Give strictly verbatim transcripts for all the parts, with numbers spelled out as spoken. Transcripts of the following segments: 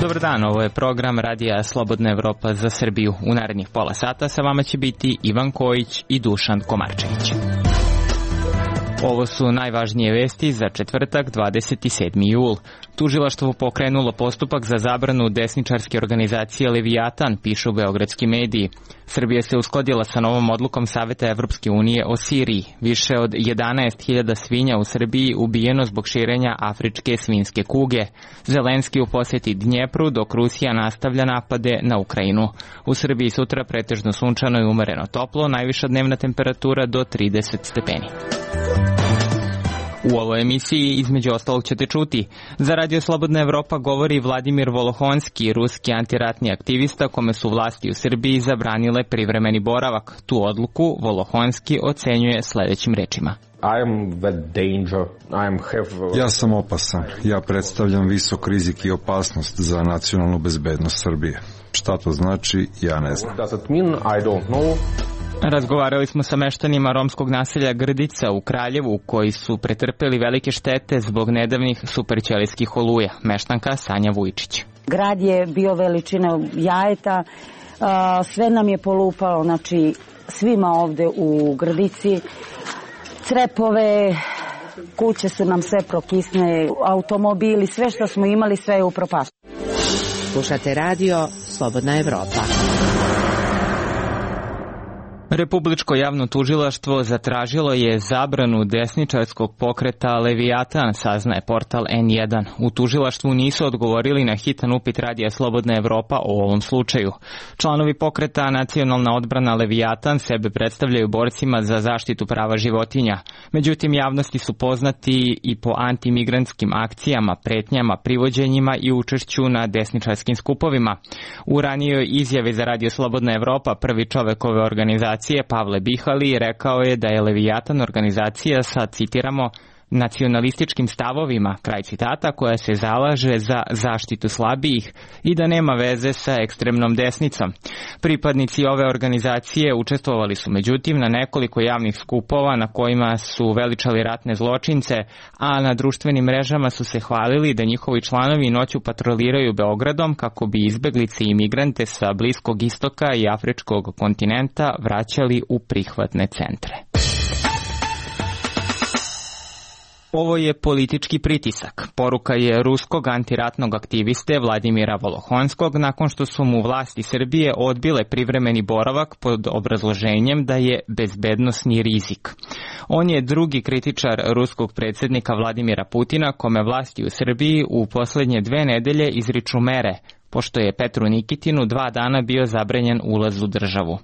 Dobar dan, ovo je program Radija Slobodna Evropa za Srbiju. U narednih pola sata sa vama će biti Ivan Kojić i Dušan Komarčević. Ovo su najvažnije vesti za četvrtak, dvadeset sedmi jul. Tužilaštvo pokrenulo postupak za zabranu desničarske organizacije Leviatan, pišu beogradski mediji. Srbija se uskladila sa novom odlukom Saveta Evropske unije o Siriji. Više od jedanaest hiljada svinja u Srbiji ubijeno zbog širenja afričke svinjske kuge. Zelenski u poseti Dnjepru, dok Rusija nastavlja napade na Ukrajinu. U Srbiji sutra pretežno sunčano i umereno toplo, najviša dnevna temperatura do trideset stepeni. U ovoj emisiji između ostalog ćete čuti. Za Radio Slobodna Evropa govori Vladimir Volohonski, ruski antiratni aktivista kome su vlasti u Srbiji zabranile privremeni boravak. Tu odluku Volohonski ocenjuje sledećim rečima. Ja sam opasan. Ja predstavljam visok rizik i opasnost za nacionalnu bezbednost Srbije. Šta to znači, ja ne znam. Razgovarali smo sa meštanima romskog naselja Grdica u Kraljevu, koji su pretrpeli velike štete zbog nedavnih superćelijskih oluja. Meštanka Sanja Vujčić. Grad je bio veličine jajeta, sve nam je polupalo, znači svima ovde u Grdici. Crepove, kuće su nam sve prokisne, automobili, sve što smo imali, sve je upropastilo. Slušate radio Slobodna Evropa. Republičko javno tužilaštvo zatražilo je zabranu desničarskog pokreta Leviatan, saznaje portal en jedan. U tužilaštvu nisu odgovorili na hitan upit Radija Slobodna Evropa o ovom slučaju. Članovi pokreta Nacionalna odbrana Leviatan sebe predstavljaju borcima za zaštitu prava životinja. Međutim, javnosti su poznati i po antimigrantskim akcijama, pretnjama, privođenjima i učešću na desničarskim skupovima. U ranijoj izjavi za Radio Slobodna Evropa prvi čovek ove organizacije Pavle Bihali rekao je da je Leviatan organizacija sa, citiramo, nacionalističkim stavovima, kraj citata, koja se zalaže za zaštitu slabijih i da nema veze sa ekstremnom desnicom. Pripadnici ove organizacije učestvovali su međutim na nekoliko javnih skupova na kojima su veličali ratne zločince, a na društvenim mrežama su se hvalili da njihovi članovi noću patroliraju Beogradom kako bi izbeglice i imigrante sa Bliskog istoka i afričkog kontinenta vraćali u prihvatne centre. Ovo je politički pritisak. Poruka je ruskog antiratnog aktiviste Vladimira Volohonskog nakon što su mu vlasti Srbije odbile privremeni boravak pod obrazloženjem da je bezbednosni rizik. On je drugi kritičar ruskog predsjednika Vladimira Putina kome vlasti u Srbiji u poslednje dve nedelje izriču mere, pošto je Petru Nikitinu dva dana bio zabranjen ulaz u državu.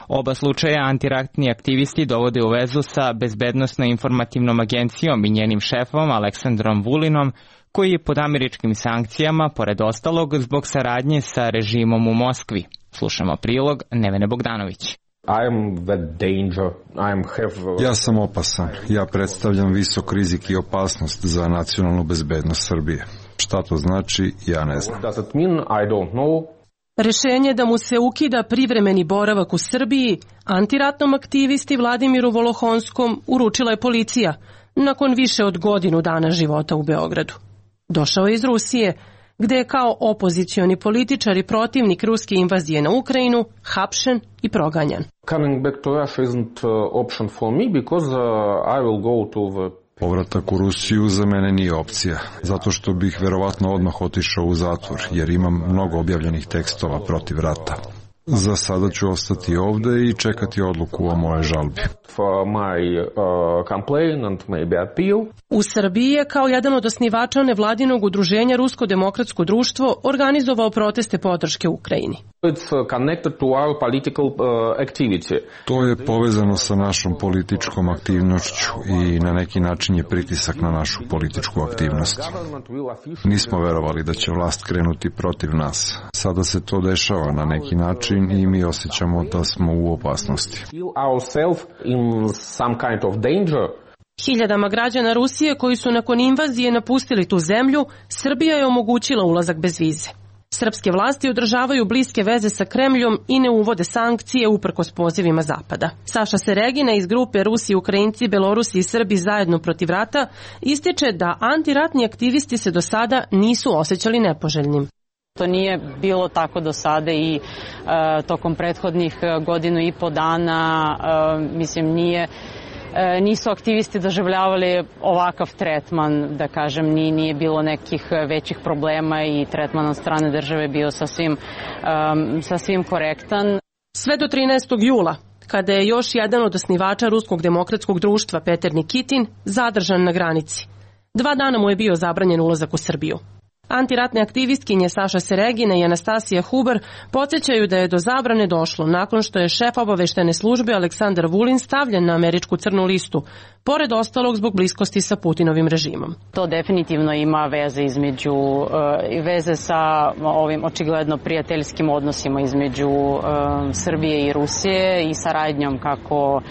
Oba slučaja antiratni aktivisti dovode u vezu sa Bezbednosno-informativnom agencijom i njenim šefom Aleksandrom Vulinom, koji je pod američkim sankcijama, pored ostalog, zbog saradnje sa režimom u Moskvi. Slušamo prilog Nevene Bogdanović. Ja sam opasan. Ja predstavljam visok rizik i opasnost za nacionalnu bezbednost Srbije. Šta to znači, ja ne znam. Rešenje da mu se ukida privremeni boravak u Srbiji antiratnom aktivisti Vladimiru Volohonskom uručila je policija nakon više od godinu dana života u Beogradu. Došao je iz Rusije, gde je kao opozicioni političar i protivnik ruske invazije na Ukrajinu hapšen i proganjan. Coming back to Russia isn't option for me because I will go to the Povratak u Rusiju za mene nije opcija, zato što bih verovatno odmah otišao u zatvor, jer imam mnogo objavljenih tekstova protiv rata. Za sada ću ostati ovde i čekati odluku o moje žalbi. U Srbiji je kao jedan od osnivača nevladinog udruženja Rusko demokratsko društvo organizovao proteste podrške Ukrajini. To je povezano sa našom političkom aktivnošću i na neki način je pritisak na našu političku aktivnost. Nismo verovali da će vlast krenuti protiv nas. Sada se to dešava na neki način i mi osjećamo da smo u opasnosti. Hiljadama građana Rusije koji su nakon invazije napustili tu zemlju, Srbija je omogućila ulazak bez vize. Srpske vlasti održavaju bliske veze sa Kremljom i ne uvode sankcije uprkos pozivima Zapada. Saša Seregina iz grupe Rusi, Ukrajinci, Belorusi i Srbi zajedno protiv rata ističe da antiratni aktivisti se do sada nisu osjećali nepoželjnim. To nije bilo tako do sada i e, tokom prethodnih godinu i po dana, e, mislim, nije nisu aktivisti doživljavali ovakav tretman, da kažem, nije, nije bilo nekih većih problema i tretman od strane države bio sasvim, um, sasvim korektan. Sve do trinaestog jula, kada je još jedan od osnivača Ruskog demokratskog društva, Peter Nikitin, zadržan na granici. Dva dana mu je bio zabranjen ulazak u Srbiju. Antiratne aktivistkinje Saša Seregina i Anastasija Huber podsjećaju da je do zabrane došlo nakon što je šef obaveštene službe Aleksandar Vulin stavljen na američku crnu listu, pored ostalog zbog bliskosti sa Putinovim režimom. To definitivno ima veze između veze sa ovim očigledno prijateljskim odnosima između Srbije i Rusije i saradnjom kako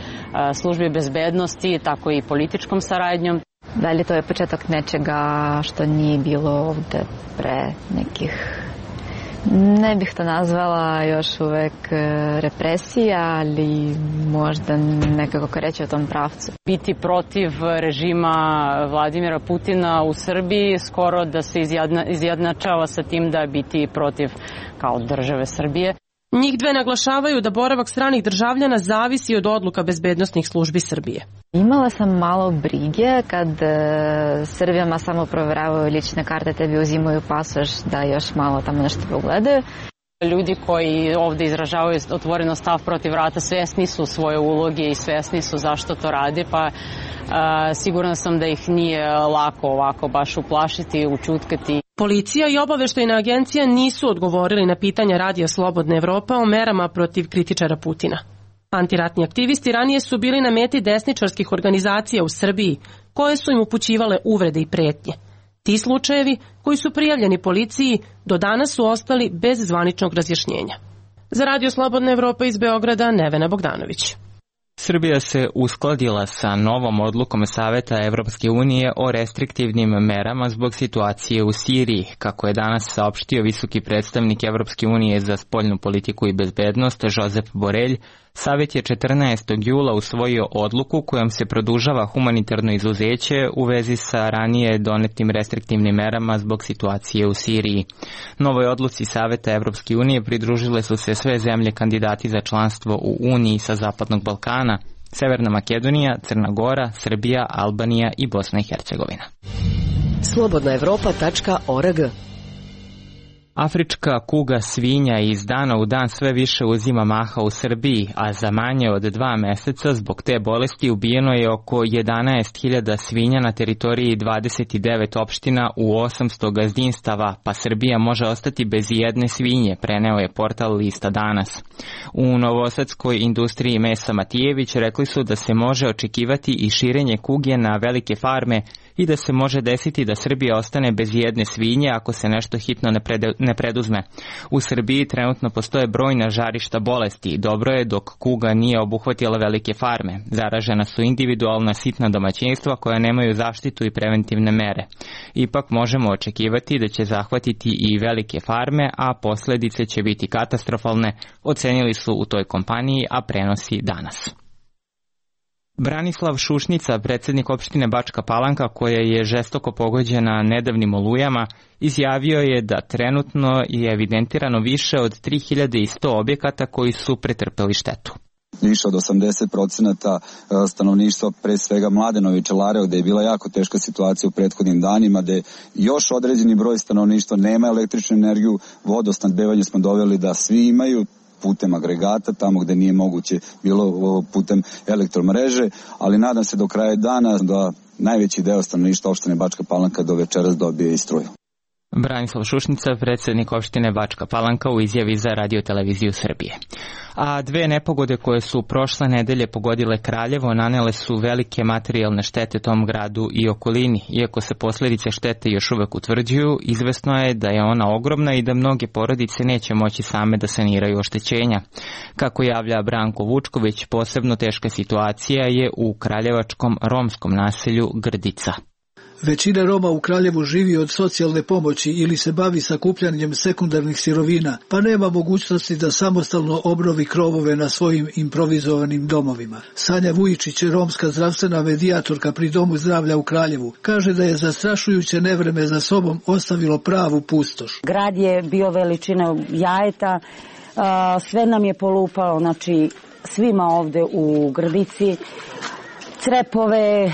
službe bezbednosti, tako i političkom saradnjom. Da li to je početak nečega što nije bilo ovde pre nekih, ne bih to nazvala još uvek represija, ali možda nekako kreće u tom pravcu. Biti protiv režima Vladimira Putina u Srbiji skoro da se izjedna, izjednačava sa tim da biti protiv kao države Srbije. Njih dve naglašavaju da boravak stranih državljana zavisi od odluka bezbednosnih službi Srbije. Imala sam malo brige kad uh, Srbijama samo proveravaju lične karte, tebi uzimaju pasoš da još malo tamo nešto pogledaju. Ljudi koji ovde izražavaju otvoreno stav protiv rata svesni su svoje uloge i svesni su zašto to rade, pa uh, sigurna sam da ih nije lako ovako baš uplašiti, učutkati. Policija i obaveštajna agencija nisu odgovorili na pitanja Radija Slobodna Evropa o merama protiv kritičara Putina. Antiratni aktivisti ranije su bili na meti desničarskih organizacija u Srbiji, koje su im upućivale uvrede i pretnje. Ti slučajevi, koji su prijavljeni policiji, do danas su ostali bez zvaničnog razjašnjenja. Za Radio Slobodna Evropa iz Beograda, Nevena Bogdanović. Srbija se uskladila sa novom odlukom Saveta Evropske unije o restriktivnim merama zbog situacije u Siriji. Kako je danas saopštio visoki predstavnik Evropske unije za spoljnu politiku i bezbednost Josep Borelj, Savet je četrnaestog jula usvojio odluku kojom se produžava humanitarno izuzeće u vezi sa ranije donetim restriktivnim merama zbog situacije u Siriji. Novoj odluci Saveta Evropske unije pridružile su se sve zemlje kandidati za članstvo u Uniji sa Zapadnog Balkana, Severna Makedonija, Crna Gora, Srbija, Albanija i Bosna i Hercegovina. slobodna evropa tačka org. Afrička kuga svinja iz dana u dan sve više uzima maha u Srbiji, a za manje od dva meseca zbog te bolesti ubijeno je oko jedanaest hiljada svinja na teritoriji dvadeset devet opština u osamsto gazdinstava, pa Srbija može ostati bez jedne svinje, preneo je portal Lista danas. U novosadskoj industriji mesa Matijević rekli su da se može očekivati i širenje kuge na velike farme i da se može desiti da Srbija ostane bez jedne svinje ako se nešto hitno ne, pred, ne preduzme. U Srbiji trenutno postoje brojna žarišta bolesti. Dobro je dok kuga nije obuhvatila velike farme. Zaražena su individualna sitna domaćinstva koja nemaju zaštitu i preventivne mere. Ipak možemo očekivati da će zahvatiti i velike farme, a posledice će biti katastrofalne, ocenili su u toj kompaniji, a prenosi danas. Branislav Šušnica, predsjednik opštine Bačka Palanka, koja je žestoko pogođena nedavnim olujama, izjavio je da trenutno je evidentirano više od tri hiljade sto objekata koji su pretrpeli štetu. Više od osamdeset procenata stanovništva, pre svega Mladenove Čelare, gde je bila jako teška situacija u prethodnim danima, gde još određeni broj stanovništva nema električnu energiju, vodosnabdevanje smo doveli da svi imaju putem agregata, tamo gde nije moguće bilo putem elektromreže, ali nadam se do kraja dana da najveći deo stanovništva opštine Bačka Palanka do večeras dobije i struju. Branislav Šušnica, predsjednik opštine Bačka Palanka, u izjavi za Radio televiziju Srbije. A dve nepogode koje su prošle nedelje pogodile Kraljevo nanele su velike materijalne štete tom gradu i okolini. Iako se posljedice štete još uvek utvrđuju, izvesno je da je ona ogromna i da mnoge porodice neće moći same da saniraju oštećenja. Kako javlja Branko Vučković, posebno teška situacija je u kraljevačkom romskom naselju Grdica. Većina Roma u Kraljevu živi od socijalne pomoći ili se bavi sakupljanjem sekundarnih sirovina, pa nema mogućnosti da samostalno obnovi krovove na svojim improvizovanim domovima. Sanja Vujičić, romska zdravstvena medijatorka pri Domu zdravlja u Kraljevu, kaže da je zastrašujuće nevreme za sobom ostavilo pravu pustoš. Grad je bio veličine jajeta, sve nam je polupalo, znači svima ovde u Grdici, crepove,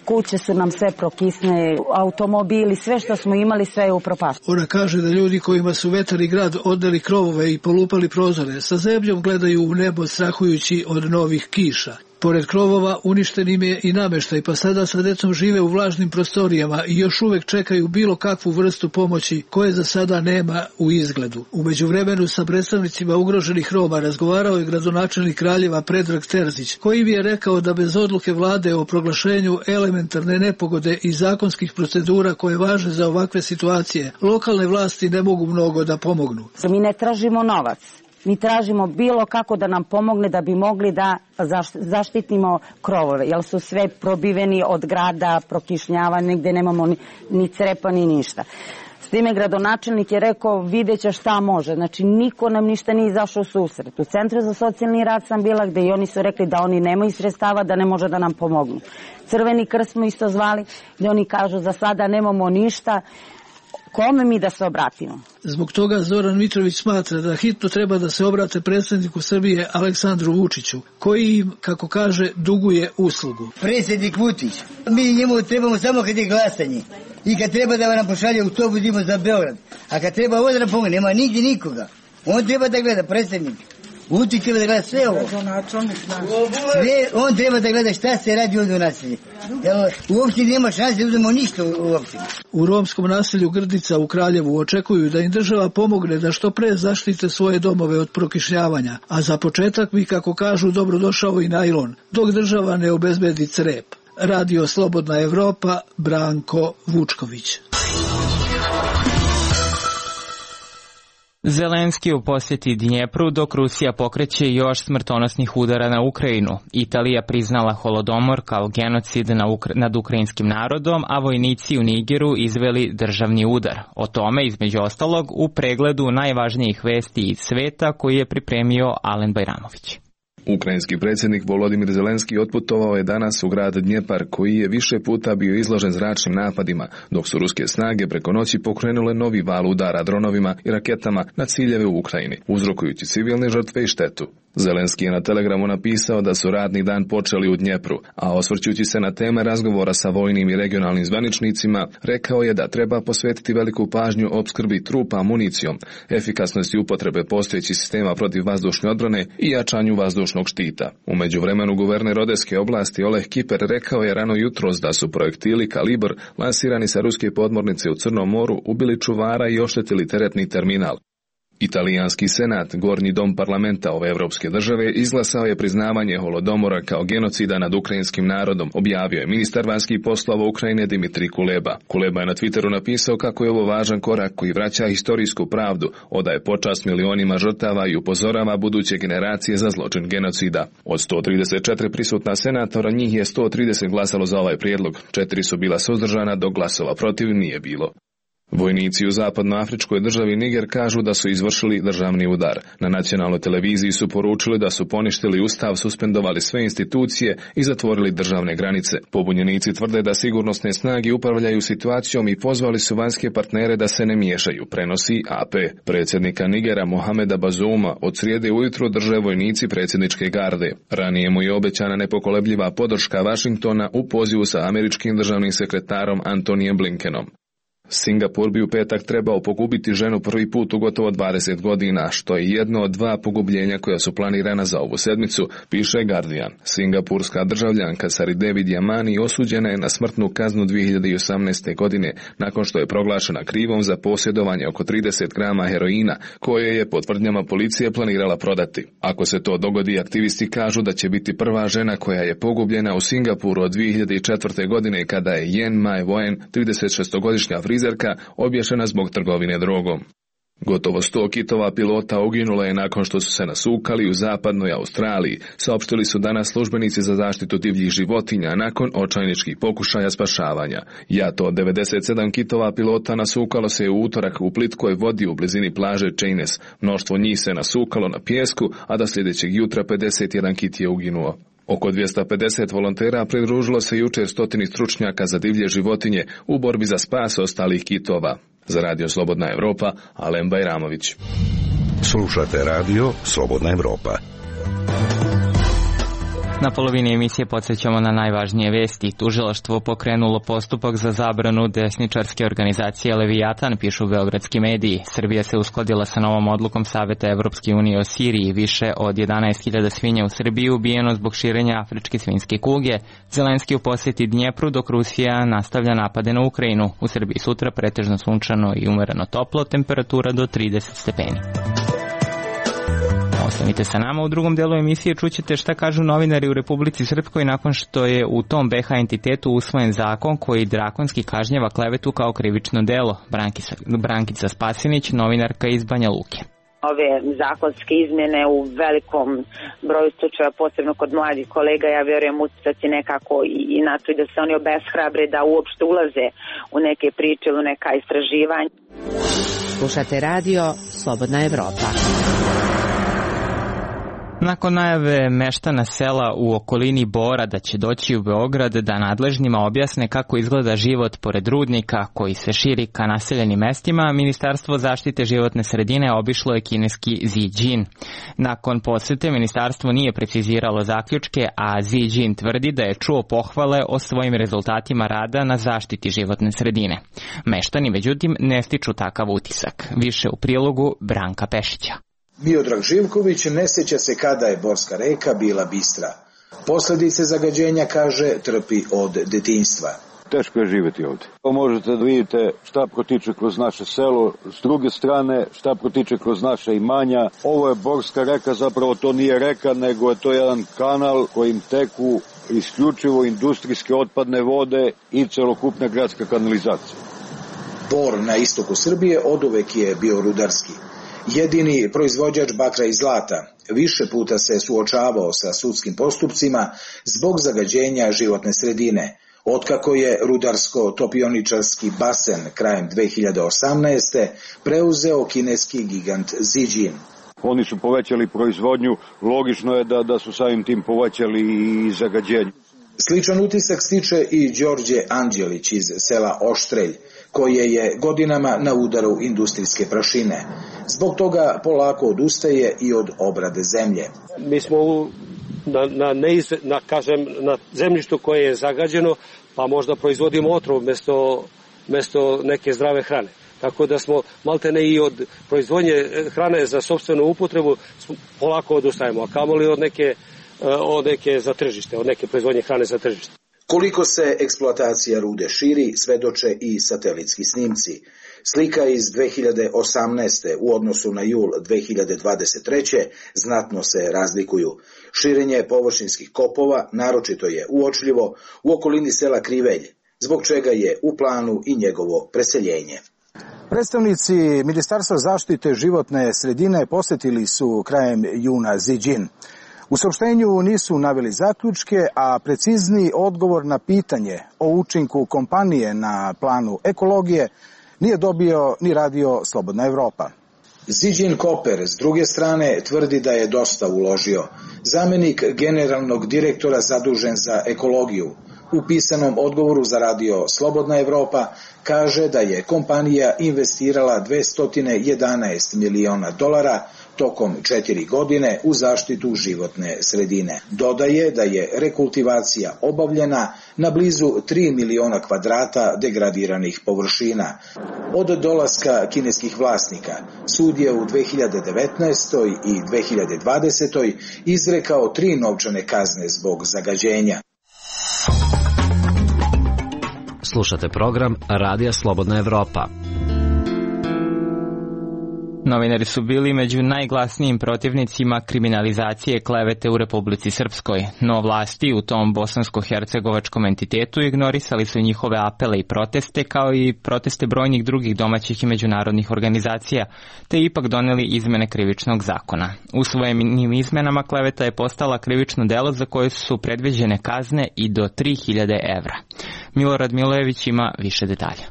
kuće su nam sve prokisne, automobili, sve što smo imali, sve je upropašteno. Ona kaže da ljudi kojima su vetar i grad odneli krovove i polupali prozore, sa zebljom gledaju u nebo strahujući od novih kiša. Pored krovova uništen im je i nameštaj, pa sada sa decom žive u vlažnim prostorijama i još uvek čekaju bilo kakvu vrstu pomoći koje za sada nema u izgledu. U međuvremenu sa predstavnicima ugroženih Roma razgovarao je gradonačelnik Kraljeva Predrag Terzić, koji mi je rekao da bez odluke vlade o proglašenju elementarne nepogode i zakonskih procedura koje važe za ovakve situacije, lokalne vlasti ne mogu mnogo da pomognu. Mi ne tražimo novac. Mi tražimo bilo kako da nam pomogne da bi mogli da zaštitimo krovove, jer su sve probiveni od grada, prokišnjava, negde nemamo ni, ni crepa ni ništa. S time gradonačelnik je rekao vidjet će šta može, znači niko nam ništa nije izašao u susret. U Centru za socijalni rad sam bila gde i oni su rekli da oni nemaju sredstava, da ne može da nam pomognu. Crveni krst smo isto zvali gde oni kažu za sada nemamo ništa. Kome mi da se obratimo? Zbog toga Zoran Mitrović smatra da hitno treba da se obrate predsjedniku Srbije Aleksandru Vučiću, koji im, kako kaže, duguje uslugu. Predsjednik Vučić, mi njemu trebamo samo kad je glasanje i kad treba da nam pošalje autobus idemo za Beograd, a kad treba ovdje da pomogne, nema nigdje nikoga. On treba da gleda, predsjednik. Vučić treba da gleda sve ovo. Sve, on treba da gleda šta se radi ovdje u naselju. Uopće nema šanse da uzmemo ništa uopće. U romskom naselju Grdica u Kraljevu očekuju da im država pomogne da što pre zaštite svoje domove od prokišnjavanja, a za početak bi, kako kažu, dobrodošao i najlon, dok država ne obezbedi crep. Radio Slobodna Evropa, Branko Vučković. Zelenski u posjeti Dnjepru dok Rusija pokreće još smrtonosnih udara na Ukrajinu. Italija priznala Holodomor kao genocid nad ukrajinskim narodom, a vojnici u Nigeru izveli državni udar. O tome, između ostalog, u pregledu najvažnijih vesti iz sveta koji je pripremio Alen Bajramović. Ukrajinski predsjednik Volodimir Zelenski otputovao je danas u grad Dnjepar, koji je više puta bio izložen zračnim napadima, dok su ruske snage preko noći pokrenule novi val udara dronovima i raketama na ciljeve u Ukrajini, uzrokujući civilne žrtve i štetu. Zelenski je na Telegramu napisao da su radni dan počeli u Dnjepru, a osvrćući se na teme razgovora sa vojnim i regionalnim zvaničnicima, rekao je da treba posvetiti veliku pažnju opskrbi trupa municijom, efikasnosti upotrebe postojećih sistema protiv vazdušne odbrane i jačanju vazdušnog štita. U međuvremenu guverner Odeske oblasti Oleh Kiper rekao je rano jutros da su projektili Kalibr lansirani sa ruske podmornice u Crnom moru ubili čuvara i oštetili teretni terminal. Italijanski senat, gornji dom parlamenta ove evropske države, izglasao je priznavanje Holodomora kao genocida nad ukrajinskim narodom, objavio je ministar vanjskih poslova Ukrajine Dimitrij Kuleba. Kuleba je na Twitteru napisao kako je ovo važan korak koji vraća historijsku pravdu, odaje počast milionima žrtava i upozorava buduće generacije za zločin genocida. Od sto trideset četiri prisutna senatora, njih je sto trideset glasalo za ovaj prijedlog, četiri su bila suzdržana, dok glasova protiv nije bilo. Vojnici u zapadnoafričkoj državi Niger kažu da su izvršili državni udar. Na nacionalnoj televiziji su poručili da su poništili ustav, suspendovali sve institucije i zatvorili državne granice. Pobunjenici tvrde da sigurnosne snage upravljaju situacijom i pozvali su vanjske partnere da se ne miješaju, prenosi A P. Predsjednika Nigera Mohameda Bazouma od srijede ujutro drže vojnici predsjedničke garde. Ranije mu je obećana nepokolebljiva podrška Vašingtona u pozivu sa američkim državnim sekretarom Antonijem Blinkenom. Singapur bi u petak trebao pogubiti ženu prvi put u gotovo dvadeset godina, što je jedno od dva pogubljenja koja su planirana za ovu sedmicu, piše Guardian. Singapurska državljanka Sari Devi Diamani osuđena je na smrtnu kaznu dvije hiljade osamnaeste. godine nakon što je proglašena krivom za posjedovanje oko trideset grama heroina koje je po tvrdnjama policije planirala prodati. Ako se to dogodi, aktivisti kažu da će biti prva žena koja je pogubljena u Singapuru od dvije hiljade četvrte. godine kada je Yen Mai Wen, tridesetšestogodišnja frizerka, obješena zbog trgovine drogom. Gotovo sto kitova pilota uginulo je nakon što su se nasukali u zapadnoj Australiji, saopštili su danas službenici za zaštitu divljih životinja nakon očajničkih pokušaja spašavanja. Jato od devedeset sedam kitova pilota nasukalo se u utorak u plitkoj vodi u blizini plaže Cheynez. Mnoštvo njih se nasukalo na pijesku, a do sljedećeg jutra pedeset jedan kit je uginuo. Oko dvjesto pedeset volontera pridružilo se jučer stotini stručnjaka za divlje životinje u borbi za spas ostalih kitova. Za Radio Slobodna Evropa, Alen Bajramović. Slušate Radio Slobodna Evropa. Na polovini emisije podsjećamo na najvažnije vesti. Tužilaštvo pokrenulo postupak za zabranu desničarske organizacije Leviatan, pišu beogradski mediji. Srbija se uskladila sa novom odlukom Saveta Evropske unije o Siriji. Više od jedanaest hiljada svinja u Srbiji ubijeno zbog širenja afričke svinjske kuge. Zelenski u posjeti Dnjepru, dok Rusija nastavlja napade na Ukrajinu. U Srbiji sutra pretežno sunčano i umereno toplo, temperatura do trideset stepeni. Ostanite sa nama, u drugom delu emisije čućete šta kažu novinari u Republici Srpskoj nakon što je u tom be ha entitetu usvojen zakon koji drakonski kažnjava klevetu kao krivično delo. Brankica, Brankica Spasinić, novinarka iz Banja Luke. Ove zakonske izmjene u velikom broju slučaja, posebno kod mladih kolega, ja vjerujem utjecati nekako i na to i da se oni obeshrabre da uopšte ulaze u neke priče, u neka istraživanja. Slušate radio Slobodna Evropa. Nakon najave meštana sela u okolini Bora da će doći u Beograd da nadležnima objasne kako izgleda život pored rudnika koji se širi ka naseljenim mestima, Ministarstvo zaštite životne sredine obišlo je kineski Zijin. Nakon posete ministarstvo nije preciziralo zaključke, a Zijin tvrdi da je čuo pohvale o svojim rezultatima rada na zaštiti životne sredine. Meštani, međutim, ne stiču takav utisak. Više u prilogu Branka Pešića. Miodrag Živković ne sjeća se kada je Borska reka bila bistra. Posljedice zagađenja, kaže, trpi od detinjstva. Teško je živjeti ovdje. Možete da vidite šta protiče kroz naše selo, s druge strane šta protiče kroz naše imanja. Ovo je Borska reka, zapravo to nije reka, nego je to jedan kanal kojim teku isključivo industrijske otpadne vode i celokupna gradska kanalizacija. Bor na istoku Srbije oduvek je bio rudarski. Jedini proizvođač bakra i zlata, više puta se suočavao sa sudskim postupcima zbog zagađenja životne sredine, otkako je rudarsko-topioničarski basen krajem dve hiljade osamnaeste. preuzeo kineski gigant Zijin. Oni su povećali proizvodnju, logično je da, da su samim tim povećali i zagađenje. Sličan utisak stiče i Đorđe Anđelić iz sela Oštrelj, koje je godinama na udaru industrijske prašine. Zbog toga polako odustaje i od obrade zemlje. Mi smo u, na, na, neiz, na, kažem, na zemljištu koje je zagađeno, pa možda proizvodimo otrov mjesto, mjesto neke zdrave hrane. Tako da smo maltene i od proizvodnje hrane za sopstvenu upotrebu polako odustajemo, a kamoli od neke, od neke za tržište, od neke proizvodnje hrane za tržište. Koliko se eksploatacija rude širi, svedoče i satelitski snimci. Slika iz dve hiljade osamnaeste. u odnosu na jul dve hiljade dvadeset treće. znatno se razlikuju. Širenje površinskih kopova naročito je uočljivo u okolini sela Krivelj, zbog čega je u planu i njegovo preseljenje. Predstavnici Ministarstva zaštite životne sredine posjetili su krajem juna Zijin. U saopštenju nisu naveli zaključke, a precizni odgovor na pitanje o učinku kompanije na planu ekologije nije dobio ni radio Slobodna Evropa. Zijin Copper s druge strane tvrdi da je dosta uložio. Zamenik generalnog direktora zadužen za ekologiju u pisanom odgovoru za radio Slobodna Evropa kaže da je kompanija investirala dvesta jedanaest miliona dolara tokom četiri godine u zaštitu životne sredine. Dodaje da je rekultivacija obavljena na blizu tri miliona kvadrata degradiranih površina. Od dolaska kineskih vlasnika sud je u dve hiljade devetnaestoj. i dve hiljade dvadesetoj. izrekao tri novčane kazne zbog zagađenja. Slušate program Radija Slobodna Evropa. Novinari su bili među najglasnijim protivnicima kriminalizacije klevete u Republici Srpskoj, no vlasti u tom bosansko-hercegovačkom entitetu ignorisali su njihove apele i proteste, kao i proteste brojnih drugih domaćih i međunarodnih organizacija, te ipak doneli izmene krivičnog zakona. Usvojenim izmenama kleveta je postala krivično delo za koje su predviđene kazne i do tri hiljade evra. Milorad Milojević ima više detalja.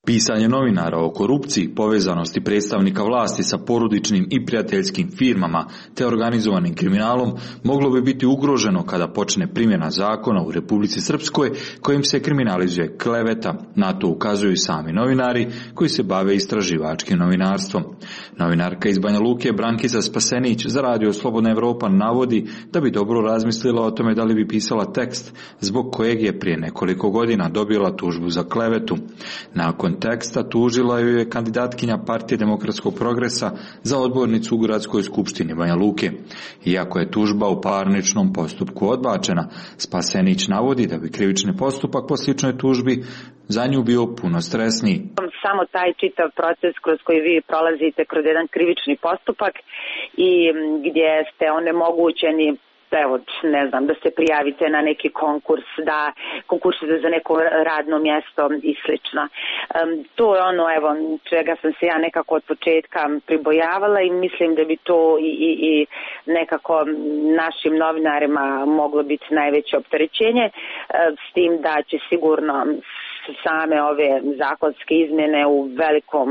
Pisanje novinara o korupciji, povezanosti predstavnika vlasti sa porodičnim i prijateljskim firmama te organizovanim kriminalom moglo bi biti ugroženo kada počne primjena zakona u Republici Srpskoj kojim se kriminalizuje kleveta. Na to ukazuju i sami novinari koji se bave istraživačkim novinarstvom. Novinarka iz Banja Luke Brankica Spasenić za radio Slobodna Evropa navodi da bi dobro razmislila o tome da li bi pisala tekst zbog kojeg je prije nekoliko godina dobila tužbu za klevetu. Nakon teksta tužila ju je kandidatkinja Partije demokratskog progresa za odbornicu u Gradskoj skupštini Banja Luke. Iako je tužba u parničnom postupku odbačena, Spasenić navodi da bi krivični postupak po sličnoj tužbi za nju bio puno stresniji. Samo taj čitav proces kroz koji vi prolazite kroz jedan krivični postupak i gdje ste onemogućeni, evo, ne znam, da se prijavite na neki konkurs, da konkursite za neko radno mjesto i slično. Um, to je ono, evo, čega sam se ja nekako od početka pribojavala i mislim da bi to i, i, i nekako našim novinarima moglo biti najveće opterećenje, s tim da će sigurno same ove zakonske izmjene u velikom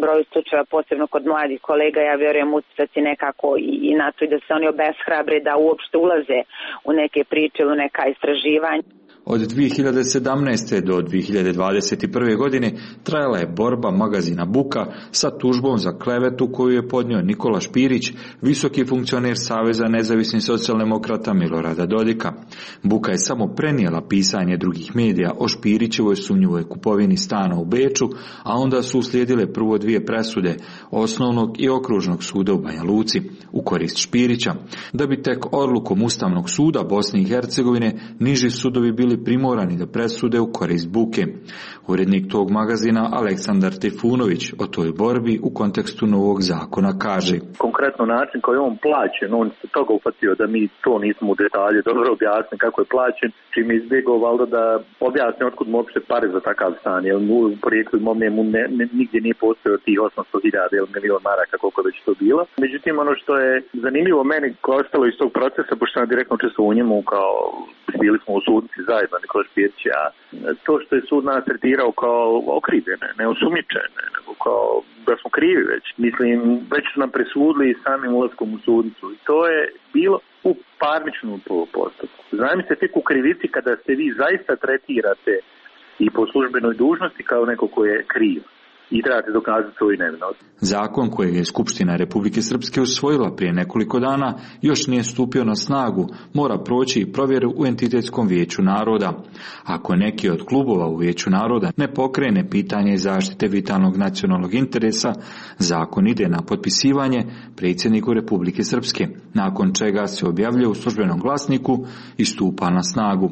broju slučajeva, posebno kod mladih kolega, ja vjerujem utjecati nekako i, i na to i da se oni obeshrabre da uopšte ulaze u neke priče ili u neka istraživanja. Od dvije hiljade sedamnaeste. do dvije hiljade dvadeset prve. godine trajala je borba magazina Buka sa tužbom za klevetu koju je podnio Nikola Špirić, visoki funkcioner Saveza nezavisnih socijaldemokrata Milorada Dodika. Buka je samo prenijela pisanje drugih medija o Špirićevoj sumnjivoj kupovini stana u Beču, a onda su uslijedile prvo dvije presude Osnovnog i Okružnog suda u Banja Luci u korist Špirića, da bi tek odlukom Ustavnog suda Bosne i Hercegovine niži sudovi bili primorani da presude u korist Buke. Urednik tog magazina Aleksandar Trifunović o toj borbi u kontekstu novog zakona kaže: Konkretno način koji je on plaćen, on se toga upatio da mi to nismo u detalje dobro objasnili kako je plaćen, čim je izbjegao valjda da objasni otkud mu uopšte pare za takav stan, jer mu u porijeklu imovine mu ne, ne, nigdje nije postojao tih osamsto hiljada ili milion maraka koliko već to bilo. Međutim, ono što je zanimljivo meni koje je ostalo iz tog procesa, pošto sam direktno učestvovao u njemu, kao bili smo u sudnici zajedno, Nikola Špirić, a to što je sud nas tretirao kao okrivljene, ne osumnjičene, nego kao da smo krivi već. Mislim, već su nam presudili samim ulaskom u sudnicu i to je bilo u parničnom postupku. Znam se tek u krivici kada se vi zaista tretirate i po službenoj dužnosti kao neko ko je kriv i trebate dokazati svoju nevinost. Zakon kojeg je Skupština Republike Srpske usvojila prije nekoliko dana još nije stupio na snagu, mora proći i provjeru u Entitetskom vijeću naroda. Ako neki od klubova u vijeću naroda ne pokrene pitanje zaštite vitalnog nacionalnog interesa, zakon ide na potpisivanje predsjedniku Republike Srpske, nakon čega se objavljuje u službenom glasniku i stupa na snagu.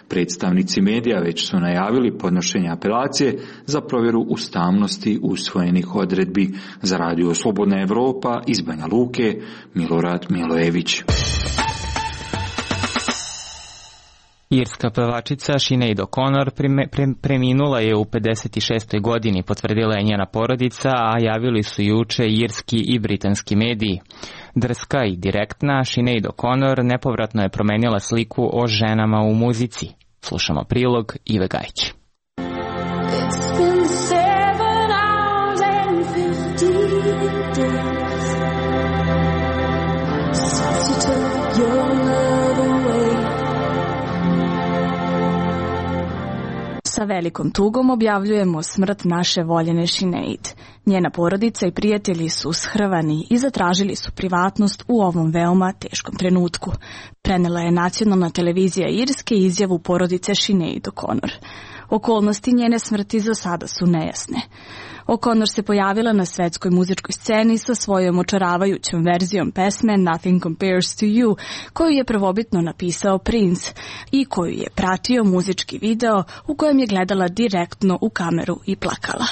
Predstavnici medija već su najavili podnošenje apelacije za provjeru ustavnosti usvojenih odredbi. Za radio Slobodna Evropa iz Banja Luke, Milorad Milojević. Irska pevačica Sinead O'Connor pre, preminula je u pedeset šestoj godini, potvrdila je njena porodica, a javili su juče irski i britanski mediji. Drska i direktna, Sinead O'Connor nepovratno je promenila sliku o ženama u muzici. Slušamo prilog Ive Gajić. Sa velikom tugom objavljujemo smrt naše voljene Sinead. Njena porodica i prijatelji su shrvani i zatražili su privatnost u ovom veoma teškom trenutku. Prenela je nacionalna televizija Irske izjavu porodice Sinead O'Connor. Okolnosti njene smrti za sada su nejasne. O'Connor se pojavila na svetskoj muzičkoj sceni sa svojom očaravajućom verzijom pesme Nothing Compares to You, koju je prvobitno napisao Prince i koju je pratio muzički video u kojem je gledala direktno u kameru i plakala.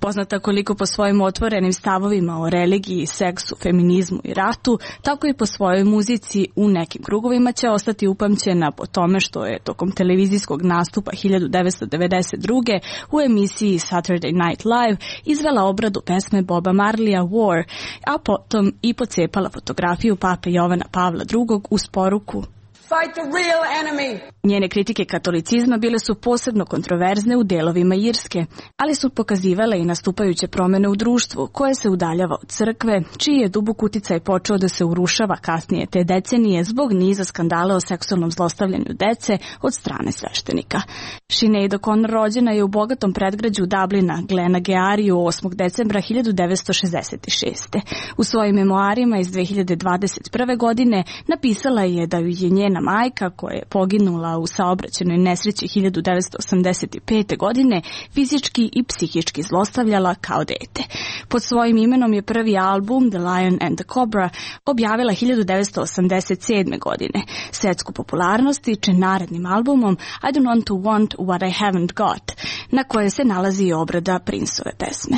Poznata koliko po svojim otvorenim stavovima o religiji, seksu, feminizmu i ratu, tako i po svojoj muzici u nekim krugovima će ostati upamćena po tome što je tokom televizijskog nastupa hiljadu devetsto devedeset druge u emisiji Saturday Night Live izvela obradu pesme Boba Marleya War, a potom i pocepala fotografiju pape Jovana Pavla drugog uz poruku Fight the real enemy. Njene kritike katolicizma bile su posebno kontroverzne u delovima Irske, ali su pokazivale i nastupajuće promene u društvu koje se udaljava od crkve, čiji je dubok uticaj počeo da se urušava kasnije te decenije zbog niza skandala o seksualnom zlostavljanju dece od strane sveštenika. Sinead O'Connor rođena je u bogatom predgrađu Dublina, Glenageariju, osmog decembra hiljadu devetsto šezdeset šeste. U svojim memoarima iz dve hiljade dvadeset prve. godine napisala je da ju je njena majka, koja je poginula u saobraćajnoj nesreći hiljadu devetsto osamdeset pete. godine, fizički i psihički zlostavljala kao dete. Pod svojim imenom je prvi album The Lion and the Cobra objavila hiljadu devetsto osamdeset sedme. godine. Svetsku popularnost stiče narednim albumom I Don't Want to Want What I Haven't Got, na koje se nalazi i obrada Princeove pesme.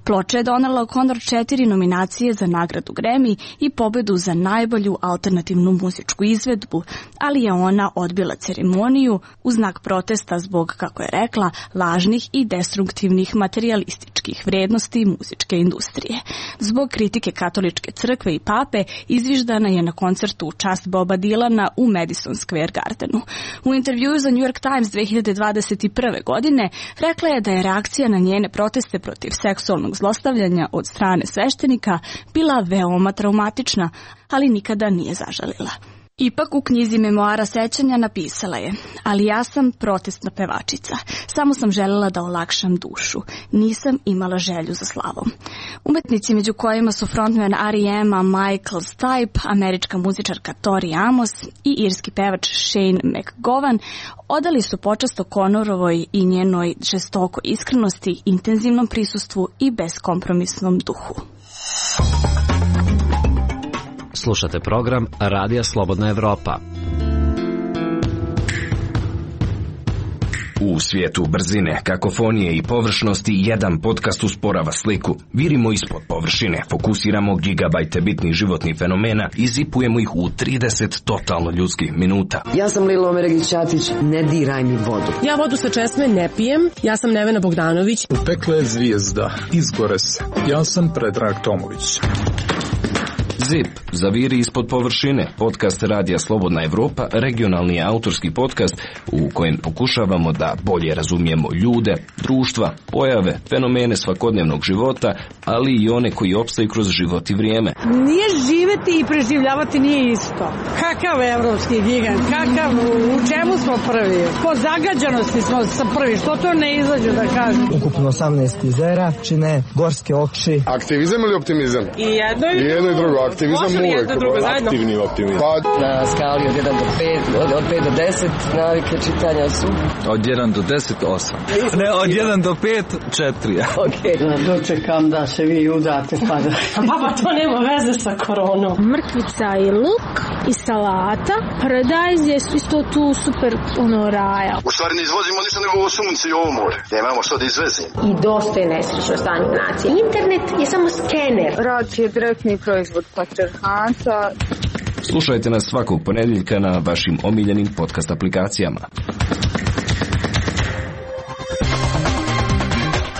Ploča je donela O'Connor četiri nominacije za nagradu Grammy i pobedu za najbolju alternativnu muzičku izvedbu, ali je ona odbila ceremoniju u znak protesta zbog, kako je rekla, lažnih i destruktivnih materijalističkih vrednosti muzičke industrije. Zbog kritike katoličke crkve i pape izviždana je na koncertu u čast Boba Dylana u Madison Square Gardenu. U intervjuu za New York Times dve hiljade dvadeset prve. godine rekla je da je reakcija na njene proteste protiv seksualnog zlostavljanja od strane sveštenika bila veoma traumatična, ali nikada nije zažalila. Ipak u knjizi memoara sećanja napisala je: ali ja sam protestna pevačica. Samo sam želela da olakšam dušu. Nisam imala želju za slavom. Umetnici među kojima su frontman R E M-a Michael Stipe, američka muzičarka Tori Amos i irski pevač Shane McGowan odali su počast O'Connorovoj i njenoj žestokoj iskrenosti, intenzivnom prisustvu i beskompromisnom duhu. Slušate program Radija Slobodna Evropa. U svijetu brzine, kakofonije i površnosti jedan podcast usporava sliku. Virimo ispod površine, fokusiramo gigabajte bitnih životnih fenomena i zipujemo ih u trideset totalno ljudskih minuta. Ja sam Lilo Omeregić-Ćatić, ne diraj mi vodu. Ja vodu sa česme ne pijem, ja sam Nevena Bogdanović. Upekla je zvijezda, izgore se. Ja sam Predrag Tomović. Zip, zaviri ispod površine, podcast Radija Slobodna Evropa, regionalni autorski podcast u kojem pokušavamo da bolje razumijemo ljude, društva, pojave, fenomene svakodnevnog života, ali i one koji opstaju kroz život i vrijeme. Nije živeti i preživljavati nije isto. Kakav evropski gigant, kakav, u čemu smo prvi? Po zagađanosti smo prvi, što to ne izađu da kažem? Ukupno osamnaest jezera, čine gorske oči. Aktivizam ili optimizam? I jedno i, I jedno i drugo. Aktivizam uvek, aktivni optimizam. Pa, na skali od jedan do pet, od, od pet do deset, navike čitanja su? Od jedan do deset, osam. Ne, od jedan do pet, četiri. Okej. Okay. Dočekam da se vi udate, pa da... Baba, to nema veze sa koronom. Mrkvica i luk i salata. Paradajz je isto tu super, ono, raja. U stvari ne izvozimo ništa nego ovo sunce i ovo more. Nemamo što da izvezimo. I dosta je nesrećno stanje u naciji. Internet je samo skener. Rad je direktni proizvod patrijarhata. Slušajte nas svakog ponedjeljka na vašim omiljenim podcast aplikacijama.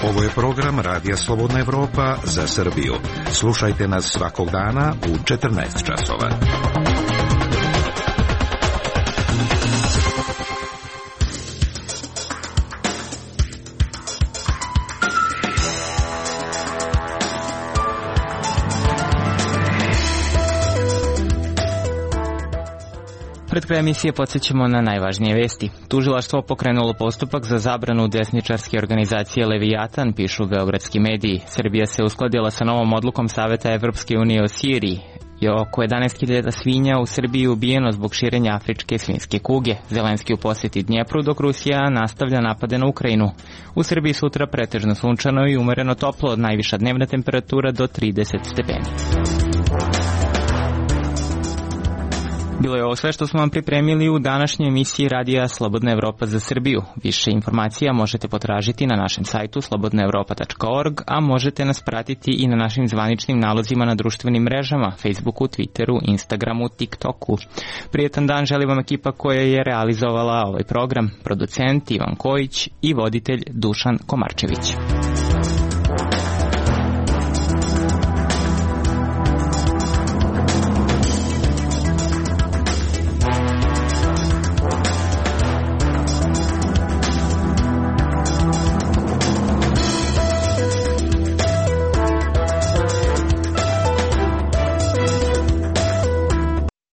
Ovo je program Radija Slobodna Evropa za Srbiju. Slušajte nas svakog dana u četrnaest časova. Pred kraj emisije podsjećamo na najvažnije vesti. Tužilaštvo pokrenulo postupak za zabranu desničarske organizacije Leviatan, pišu beogradski mediji. Srbija se uskladila sa novom odlukom Saveta Evropske unije o Siriji. je oko jedanaest hiljada svinja u Srbiji ubijeno zbog širenja afričke svinjske kuge. Zelenski u posjeti Dnjepru, dok Rusija nastavlja napade na Ukrajinu. U Srbiji sutra pretežno sunčano i umereno toplo, najviša dnevna temperatura do trideset stepeni. Bilo je ovo sve što smo vam pripremili u današnjoj emisiji Radija Slobodna Evropa za Srbiju. Više informacija možete potražiti na našem sajtu slobodna evropa tačka org, a možete nas pratiti i na našim zvaničnim nalozima na društvenim mrežama, Facebooku, Twitteru, Instagramu, TikToku. Prijetan dan želi vam ekipa koja je realizovala ovaj program, producent Ivan Kojić i voditelj Dušan Komarčević.